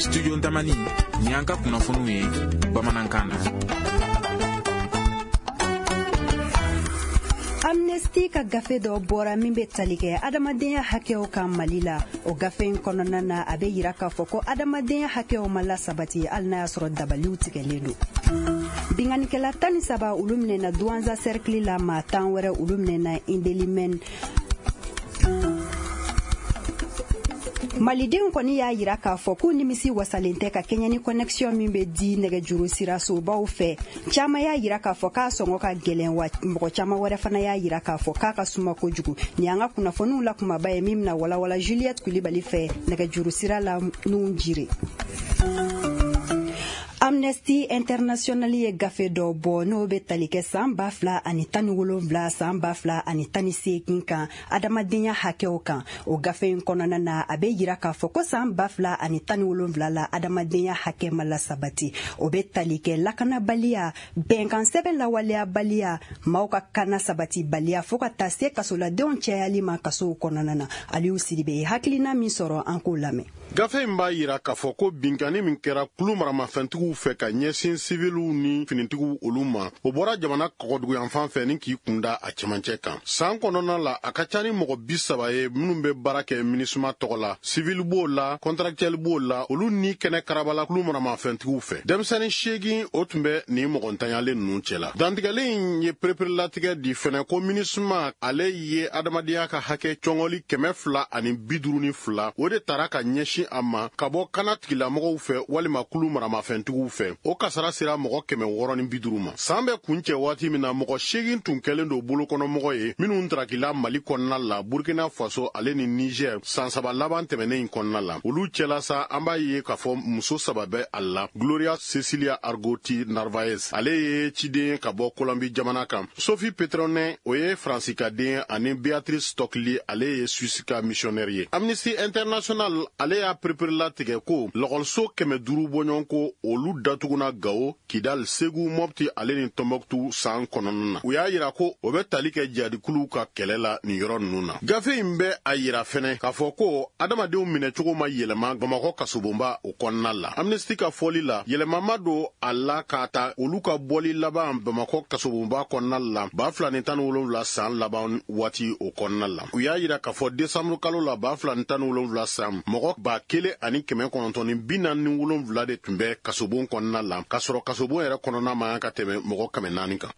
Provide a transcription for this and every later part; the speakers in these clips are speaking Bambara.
Studio Ntamani, nin y'an ka kunnafoniw ye bamanankan na. Amnesty ka gafe dɔ bɔra min bɛ tali kɛ adamadenya hakɛw kan Mali la. O gafe in kɔnɔna na, a bɛ yira k'a fɔ ko adamadenya hakɛw ma lasabati, hali n'a y'a sɔrɔ dabaliw tigɛlen don. Binkannikɛla 13, olu minɛna Douentza cercle la. Maa 10 wɛrɛ, olu minɛna Indelimɛn. Malidenw kɔni y'a yira k'a fɔ k'u nimisi wasalen tɛ ka kɛɲɛ ni connexion min bɛ di nɛgɛjuru sirasobaw fɛ. Caman y'a yira k'a fɔ k'a sɔngɔ ka gɛlɛn, wa mɔgɔ caman wɛrɛ fana y'a yira k'a fɔ k'a ka suma kojugu. Nin y'an ka kunnafoniw la kumaba ye min bɛna walawala Juliette Kulibali fɛ nɛgɛjuru sira la n'u jire. Amnesty International ye gafe dɔ bɔ n'o bɛ tali kɛ san 2017, san 2018 kan, adamadenya hakɛw kan. O gafe in kɔnɔna na, a bɛ yira k'a fɔ ko san 2017 la, adamadenya hakɛ ma lasabati. O bɛ tali kɛ lakanabaliya, bɛnkan sɛbɛn lawaleyabaliya, maaw ka kana sabatibaliya, fo ka taa se kasoladenw cayali ma kasow kɔnɔna na. Aliyu Sidibe ye hakilina min sɔrɔ, an k'o lamɛn. Gafe in b'a yira k'a fɔ ko binkanni min kɛra kulu maramafɛntigiw fɛ ka ɲɛsin siviliw ni finitigiw olu ma, o bɔra jamana kɔgɔduguyanfan fɛ ni k'i kunda a cɛmancɛ kan. San kɔnɔna la, a ka ca ni mɔgɔ 30 ye minnu bɛ baara kɛ MINUSMA tɔgɔ la, sivili b'o la, contractuel b'o la, olu ni kɛnɛ karabala kulu maramafɛntigiw fɛ. Denmisɛnnin 8, o tun bɛ nin mɔgɔ ntanyalen ninnu cɛ la. Dantigɛli in ye pereperelatigɛ di fɛnɛ ko MINUSMA ale ye adamadenya ka hakɛ cɔngɔli 252, o de tara ka ɲɛsin a ma ka bɔ kana tigilamɔgɔw fɛ walima kulu maramafɛntigiw fɛ. O kasara sera mɔgɔ 650 ma. San bɛ kuncɛ waati min na, mɔgɔ 8 tun kɛlen don bolokɔnɔmɔgɔ ye minnu tarakila Mali kɔnɔna la, Burkina Faso ale ni Niger, san 3 laban tɛmɛnen in kɔnɔna la. Olu cɛla sa, an b'a ye k'a fɔ muso 3 bɛ a la. Gloria Cecilia Argoti Narvaez, ale ye ciden ye ka bɔ Colombie jamana kan. Sophie Petronin, o ye Faransi ka den, ani Beatrice Stokely, ale ye Suisse ka missionnaire ye. Amnesty International ale y'a pereperelatigɛ ko lɔgɔliso 500 bɔɲɔgɔn ko olu datuguna Gawo, Kidal, Segu, Mopti ale ni Tɔnbɔkutu san kɔnɔna na. U y'a yira ko o bɛ tali kɛ jihadikuluw ka kɛlɛ la nin yɔrɔ ninnu na. Gafe in bɛ a yira fɛnɛ k'a fɔ ko adamadenw minɛcogo ma yɛlɛma Bamakɔ kasobonba o kɔnɔna la. Amnesty ka fɔli la, yɛlɛma ma don a la k'a ta olu ka bɔli laban Bamakɔ kasobonba kɔnɔna la 2017 san laban waati o kɔnɔna la. U y'a yira k'a fɔ desanburu kalo la 2017 san, mɔgɔ 1947 de tun bɛ kasobon kɔnɔna la, k'a sɔrɔ kasobon yɛrɛ kɔnɔna man kan ka tɛmɛ mɔgɔ 400 kan.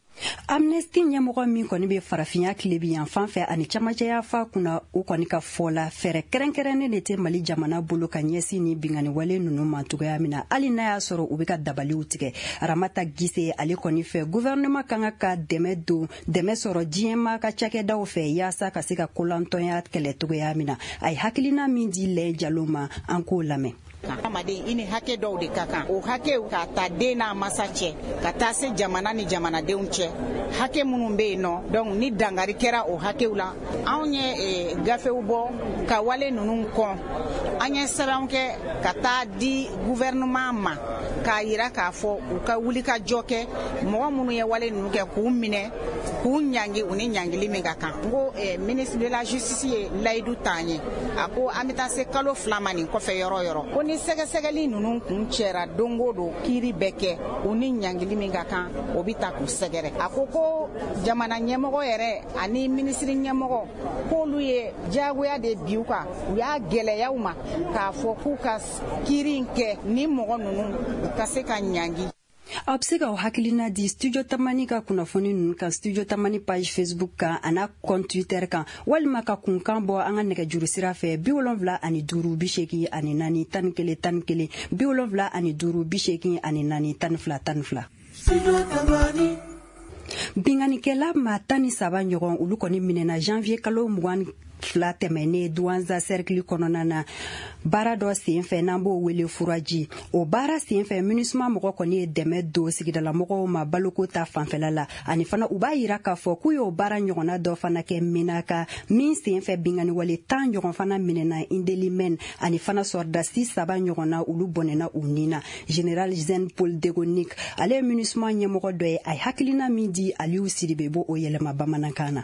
Amnesty ɲɛmɔgɔ min kɔni bɛ farafinya tilebi yan fan fɛ ani camancɛya fa kunna, o kɔni ka fɔ la, fɛɛrɛ kɛrɛnkɛrɛnnen de tɛ Mali jamana bolo ka ɲɛsin ni binkanniwale ninnu ma cogoya min na, hali n'a y'a sɔrɔ u bɛ ka dabaliw tigɛ. Ramata Gise ale kɔni fɛ, gouvernement kan ka dɛmɛ don, dɛmɛ sɔrɔ diɲɛmaa ka cakɛdaw fɛ yaasa ka se ka kolantɔnya kɛlɛ cogoya min na. A ye hakilina min di Lɛ Jalo ma, an k'o lamɛn. Adamaden, i ni hakɛ dɔw de ka kan. O hakɛw, k'a ta den n'a masa cɛ ka taa se jamana ni jamanadenw cɛ, hakɛ minnu bɛ yen nɔ, donc ni dangari kɛra o hakɛw la, anw ye gafew bɔ ka wale ninnu kɔn. An ye sɛbɛnw kɛ ka taa di gouvernement ma k'a yira k'a fɔ u ka wuli ka jɔ kɛ, mɔgɔ minnu ye wale ninnu kɛ, k'u minɛ, k'u ɲangi, u ni ɲangili min ka kan. N ko ministre de la Justice ye layidu t'an ye, a ko an bɛ taa se kalo 2 ma nin kɔfɛ yɔrɔ yɔrɔ, ko ni sɛgɛsɛgɛli ninnu kun cɛra don o don, kiiri bɛ kɛ, u ni ɲangili min ka kan, o bɛ ta k'u sɛgɛrɛ. A ko ko jamana ɲɛmɔgɔ yɛrɛ ani minisiri ɲɛmɔgɔ, k'olu ye diyagoya de bi u kan, u y'a gɛlɛya u ma k'a fɔ k'u ka kiiri in kɛ ni mɔgɔ ninnu u ka se ka ɲangi. Aw bɛ se k'aw hakilina di Studio Tamani ka kunnafoni ninnu kan Studio Tamani page Facebook kan a n'a compte Twitter kan, walima ka kunkan bɔ an ka nɛgɛjuru sira fɛ 75 84 11 11, 75 84 12 12. Binkannikɛla maa 13 ɲɔgɔn, olu kɔni minɛna janvier kalo 22 tɛmɛnen Douentza cercle kɔnɔna na, baara dɔ sen fɛ n'an b'o wele furaji. O baara sen fɛ, MINUSMA mɔgɔ kɔni ye dɛmɛ don sigidalamɔgɔw ma baloko ta fanfɛla la. Ani fana, u b'a yira k'a fɔ k'u y'o baara ɲɔgɔnna dɔ fana kɛ Menaka min sen fɛ, binkanniwale 10 ɲɔgɔn fana minɛna Indelimɛn, ani fana sɔrɔdasi saba ɲɔgɔnna, olu bɔnɛna u nin na. Général Jean Paul Degonik, ale ye MINUSMA ɲɛmɔgɔ dɔ ye, a ye hakilina min di Aliyu Sidibe, b'o o yɛlɛma bamanankan na.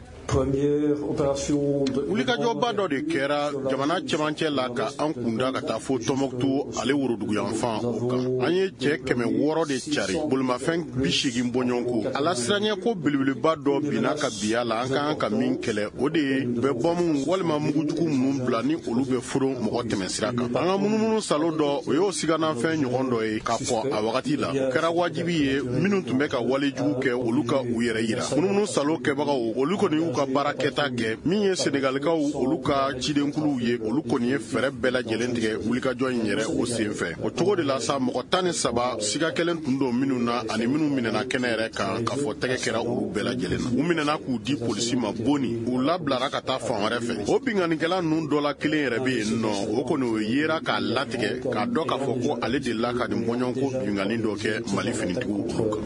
Wulikajɔ Wulikajɔba dɔ de kɛra jamana cɛmancɛ la ka an kunda ka taa fo Tɔnbɔkutu ale woroduguyanfan o kan. An ye cɛ 600 de cari, bolimafɛn 80 bɔɲɔgɔnko. A lasiranɲɛ ko belebeleba dɔ binna ka biya la, an ka kan ka min kɛlɛ, o de ye u bɛ bɔmu walima mugujugu minnu bila ni olu bɛ foron mɔgɔ tɛmɛsira kan. An ka munumunu salo dɔ, o y'o siganafɛn ɲɔgɔn dɔ ye ka kɔn a wagati la. O kɛra wajibi ye minnu tun bɛ ka walejugu kɛ, olu ka u yɛrɛ yira. Munumunu salo kɛbagaw, olu kɔni y'u ka baara kɛta kɛ. Min ye Senegalikaw olu ka cidenkuluw ye, olu kɔni ye fɛɛrɛ bɛɛ lajɛlen tigɛ wulikajɔ in yɛrɛ o sen fɛ. O cogo de la sa, mɔgɔ 13 siga kɛlen tun don minnu na ani minnu minɛna kɛnɛ yɛrɛ kan, k'a fɔ tɛgɛ kɛra olu bɛɛ lajɛlen na. U minɛna k'u di polisi ma boni, u labilara ka taa fan wɛrɛ fɛ. O binkannikɛla ninnu dɔ la kelen yɛrɛ bɛ yen nɔ, o kɔni o yera k'a latigɛ k'a dɔn k'a fɔ ko ale delila ka nin bɔɲɔgɔnko binkanni dɔ kɛ Mali finitigiw olu kan.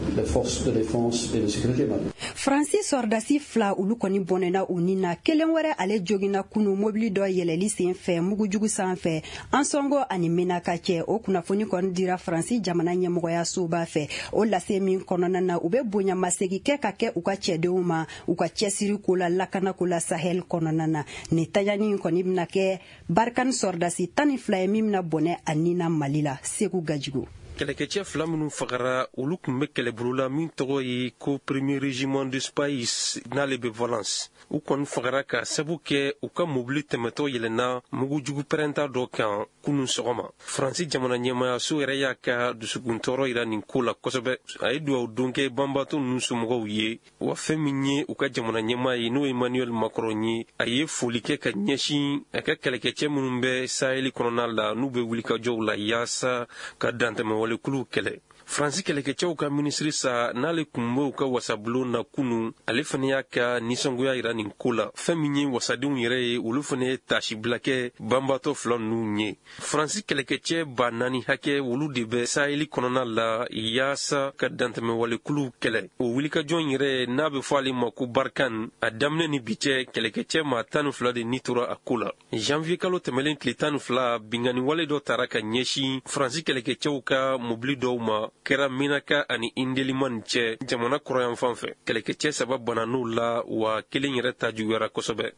Faransi sɔrɔdasi 2 olu kɔni bɔnɛna u ni na, kelen wɛrɛ ale joginna kunu mobili dɔ yɛlɛli sen fɛ mugujugu sanfɛ Ansɔngo ani Menaka cɛ. O kunnafoni kɔni dira Faransi jamana ɲɛmɔgɔya soba fɛ. O lase min kɔnɔna na, u bɛ bonyamasegin kɛ ka kɛ u ka cɛdenw ma u ka cɛsiri ko la lakanako la Sahel kɔnɔna na. Nin taɲani in kɔni bɛna kɛ Barkhane sɔrɔdasi 12 ye min bɛna bɔnɛ a ni na Mali la. Segu Gajigo. Kɛlɛkɛcɛ 2 minnu fagara, olu tun bɛ kɛlɛbolo la min tɔgɔ ye ko Premier Régiment de Spahis n'ale bɛ Valence. U kɔni fagara ka sabu kɛ u ka mobili tɛmɛtɔ yɛlɛnna mugujugu pɛrɛnta dɔ kan kunun sɔgɔma. Faransi jamana ɲɛmayaso yɛrɛ y'a ka dusukuntɔɔrɔ yira nin ko la kosɛbɛ. A ye duwawu don kɛ banbaatɔ ninnu somɔgɔw ye, wa fɛn min ye u ka jamana ɲɛmaa ye, n'o ye Emmanuel Macron ye, a ye foli kɛ ka ɲɛsin a ka kɛlɛkɛcɛ minnu bɛ Sahel kɔnɔna la n'u bɛ wulikajɔw la yaasa ka dantɛmɛ walekuluw kɛlɛ. Faransi kɛlɛkɛcɛw ka minisiri sa n'ale tun bɛ u ka wasabulon na kunun, ale fana y'a ka nisɔngoya yira nin ko la. Fɛn min ye wasadenw yɛrɛ ye, olu fana ye tasibila kɛ banbaatɔ 2 ninnu ye. Faransi kɛlɛkɛcɛ 4000 hakɛ olu de bɛ Saheli kɔnɔna la yaasa ka dantɛmɛwalekuluw kɛlɛ. O wulikajɔ in yɛrɛ n'a bɛ fɔ ale ma ko Barkhane, a daminɛ ni bi cɛ kɛlɛkɛcɛ maa 12 de ni tora a ko la. Janvier kalo tɛmɛlen tile 12, binkanni wale dɔ tara ka ɲɛsin Faransi kɛlɛkɛcɛw ka mobili dɔw ma, kɛra Menaka ani Indelimani cɛ jamana kɔrɔyanfan fɛ. Kɛlɛkɛcɛ 3 banna n'u la, wa kelen yɛrɛ ta juguyara kosɛbɛ.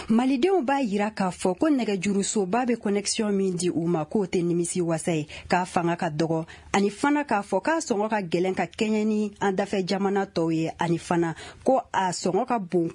Malidenw b'a yira k'a fɔ ko nɛgɛjurusoba bɛ connexion min di u ma k'o tɛ nimisi wasa ye, k'a fanga ka dɔgɔ, ani fana k'a fɔ k'a sɔngɔ ka gɛlɛn ka kɛɲɛ ni an dafɛ jamana tɔw ye, ani fana ko a sɔngɔ ka bon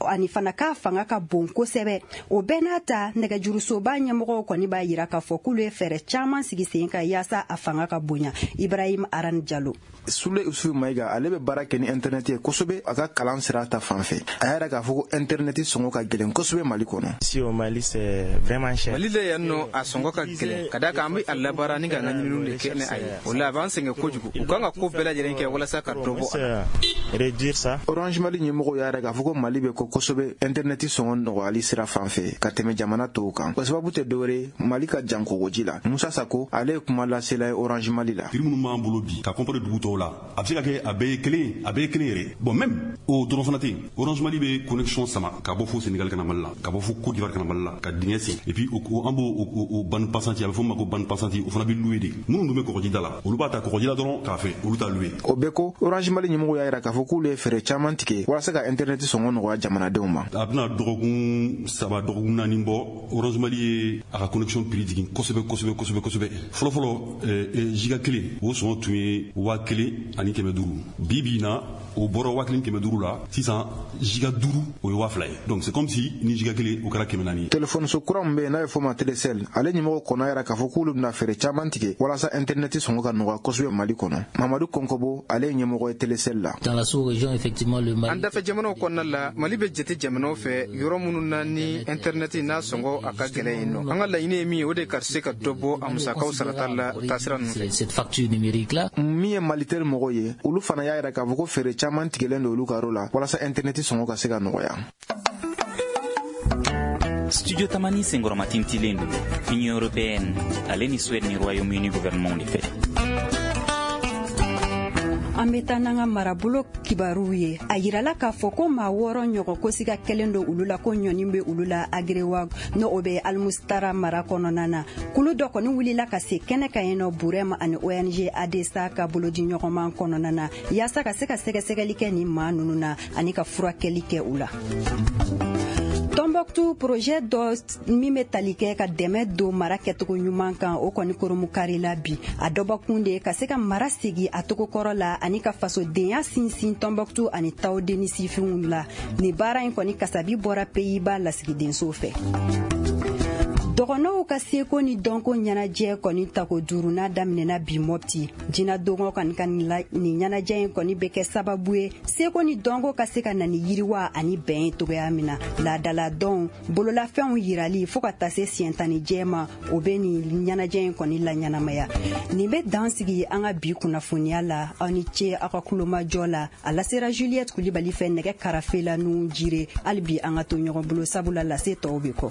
ani fana k'a fanga ka bon kosɛbɛ. O bɛɛ n'a ta, nɛgɛjurusoba ɲɛmɔgɔw kɔni b'a yira k'a fɔ k'olu ye fɛɛrɛ caman sigi sen kan yaasa a fanga ka bonya. Ibrahim Aran Jalo. Sule Usufu Mayiga, ale bɛ baara kɛ ni internet ye kosɛbɛ a ka kalan sira ta fan fɛ. A y'a yira k'a fɔ ko internet sɔngɔ ka gɛlɛn kosɛbɛ Mali kɔnɔ. Si au Mali c'est vraiment cher. Mali la yan nɔ, a sɔngɔ ka gɛlɛn ka d'a kan an bɛ a labaara ni k'an ka ɲininiw de kɛ ni a ye. O la a b'an sɛgɛn kojugu. U kan ka ko bɛɛ lajɛlen kɛ walasa ka dɔ bɔ a la. Réduire ça. Orange Mali ɲɛmɔgɔw y'a yira k'a fɔ ko Mali bɛ kɔ kosɛbɛ internet sɔngɔ nɔgɔyali sira fan fɛ ka tɛmɛ jamana tɔw kan. O sababu tɛ dɔwɛrɛ ye, Mali ka jan kɔgɔji la. Musa Sako, ale ye kuma lasela ye Orange Mali la. Prix minnu b'an bolo bi ka comparer dugu tɔw la, a bɛ se ka kɛ a bɛɛ ye kelen, a bɛɛ ye kelen yɛrɛ. Bon, même o dɔrɔn fana tɛ yen. Orange Mali bɛ connexion sama ka bɔ fo Sénégal ka na Mali la, ka bɔ fo Côte d'Ivoire ka na Mali la, ka dingɛ sen. Et puis an b'o bande passante, a bɛ fɔ o ma ko bande passante, o fana bɛ louer de. Minnu dun bɛ kɔgɔji da la, olu b'a ta kɔgɔji la dɔrɔn k'a fɛ, olu t'a louer. O bɛɛ ko Orange Mali ɲɛmɔgɔw y'a yira k'a fɔ k'olu ye fɛɛrɛ caman tigɛ walasa ka internet sɔngɔ nɔgɔya jamanadenw ma. A bɛna dɔgɔkun 3 dɔgɔkun 4 bɔ, Orange Mali ye a ka connexion prix jigin kosɛbɛ kosɛbɛ kosɛbɛ kosɛbɛ. Fɔlɔ fɔlɔ, giga kelen o sɔngɔ tun ye 1500. Bi bi in na, o bɔra 1500 la, sisan giga 5 o ye 2000 ye. Donc c'est comme si ni giga kelen o kɛra 400 ye. Téléphone so kura min bɛ yen n'a bɛ fɔ o ma Telecel, ale ɲɛmɔgɔ kɔnɔ y'a yira k'a fɔ k'olu bɛna fɛɛrɛ caman tigɛ walasa internet sɔngɔ ka nɔgɔya kosɛbɛ Mali kɔnɔ. Mamadu Kɔnkɔbo, ale ye ɲɛmɔgɔ ye Telecel la. Dans la sous-région, effectivement, le Mali. An dafɛ jamanaw kɔnɔna la, Mali bɛ jate jamanaw fɛ yɔrɔ minnu na ni internet n'a sɔngɔ a ka gɛlɛn yen nɔ. An ka laɲini ye min ye, o de ka se ka dɔ bɔ a musakaw sarata la taasira ninnu fɛ. Cette facture numérique là. Min ye Malitel mɔgɔw ye, olu fana y'a yira k'a fɔ ko fɛɛrɛ caman tigɛlen don olu ka yɔrɔ la walasa internet sɔngɔ ka se ka nɔgɔya. Studio Tamani senkɔrɔmatintilen don Union européenne ale ni Suède ni Royaume-Uni gouvernement de fɛ. An bɛ taa n'an ka marabolo kibaruw ye. A yirala k'a fɔ ko maa 6 ɲɔgɔn ko siga kɛlen don olu la ko ɲɔni bɛ olu la Agerewa, n'o o bɛ Almustara mara kɔnɔna na. Kulu dɔ kɔni wulila ka se kɛnɛ kan yen nɔ, Burɛm ani ONG ADSA ka bolodiɲɔgɔnman kɔnɔna na, yaasa ka se ka sɛgɛsɛgɛli kɛ nin maa ninnu na ani ka furakɛli kɛ u la. Tombouctou, projet dɔ min bɛ tali kɛ ka dɛmɛ don mara kɛcogo ɲuman kan, o kɔni koromukarila bi. A dɔbɔkun de ka se ka mara segi a togo kɔrɔ la ani ka fasodenya sinsin Tombouctou ani Tawudeni sifinw la. Nin baara in kɔni kasabi bɔra Pays-Bas lasigidenso fɛ. Dɔgɔnɔw ka seko ni dɔnko ɲɛnajɛ kɔni tako duurunan daminɛna bi Mɔpti. Jinadɔngɔ kɔni ka nin ɲɛnajɛ in kɔni bɛ kɛ sababu ye seko ni dɔnko ka se ka na ni yiriwa ani bɛn ye togoya min na. Laadaladɔnw, bololafɛnw yirali fo ka taa se siɲɛtanijɛ ma, o bɛ nin ɲɛnajɛ in kɔni laɲɛnamaya. Nin bɛ dan sigi an ka bi kunnafoniya la. Aw ni ce aw ka kulomajɔ la. A lasera Juliette Kulibali fɛ nɛgɛ karafe la. Nun jire hali bi an ka to ɲɔgɔn bolo, sabula lase tɔw bɛ kɔ.